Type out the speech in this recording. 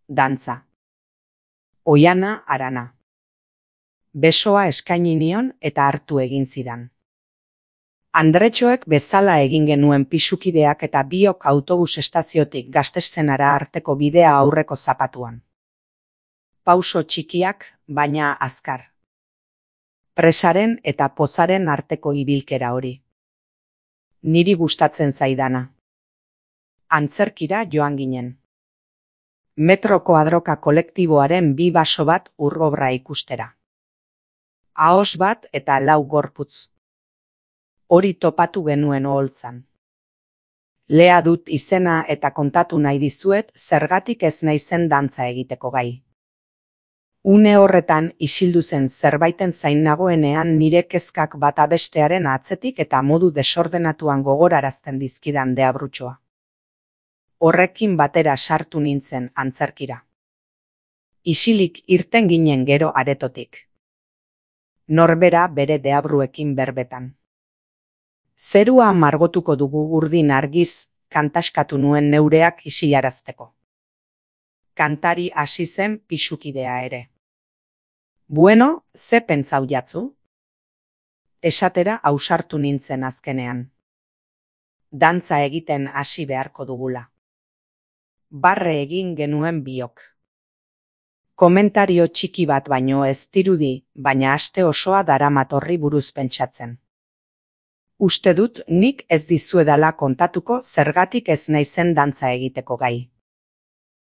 dantza. Oiana Arana. Besoa eskaini nion eta hartu egin zidan. Andretxoek bezala egin genuen pisukideak eta biok autobus estaziotik Gaztezenara arteko bidea aurreko zapatuan. Pauso txikiak, baina azkar. Presaren eta pozaren arteko ibilkera hori. Niri gustatzen zaidana. Antzerkira joan ginen. Metro Koadroka kolektiboaren 2 baso bat urgobra ikustera. Ahos bat eta 4 gorputz. Hori topatu genuen oholtzan. Lea dut izena eta kontatu nahi dizuet zergatik ez naizen dantza egiteko gai. Une horretan isildu zen zerbaiten zain nagoenean nire kezkak bata bestearen atzetik eta modu desordenatuan gogorarazten dizkidan deabrutxoa. Horrekin batera sartu nintzen antzerkira. Isilik irten ginen gero aretotik. Norbera bere deabruekin berbetan. Zerua margotuko dugu urdin argiz, kantaskatu nuen neureak isilarazteko. Kantari hasi zen pisukidea ere. Bueno, ze pentsau jatzu? Esatera ausartu nintzen azkenean. Dantza egiten hasi beharko dugula. Barre egin genuen biok. Komentario txiki bat baino ez dirudi, baina aste osoa daramat horri buruz pentsatzen. Uste dut nik ez dizuedala kontatuko zergatik ez naizen dantza egiteko gai.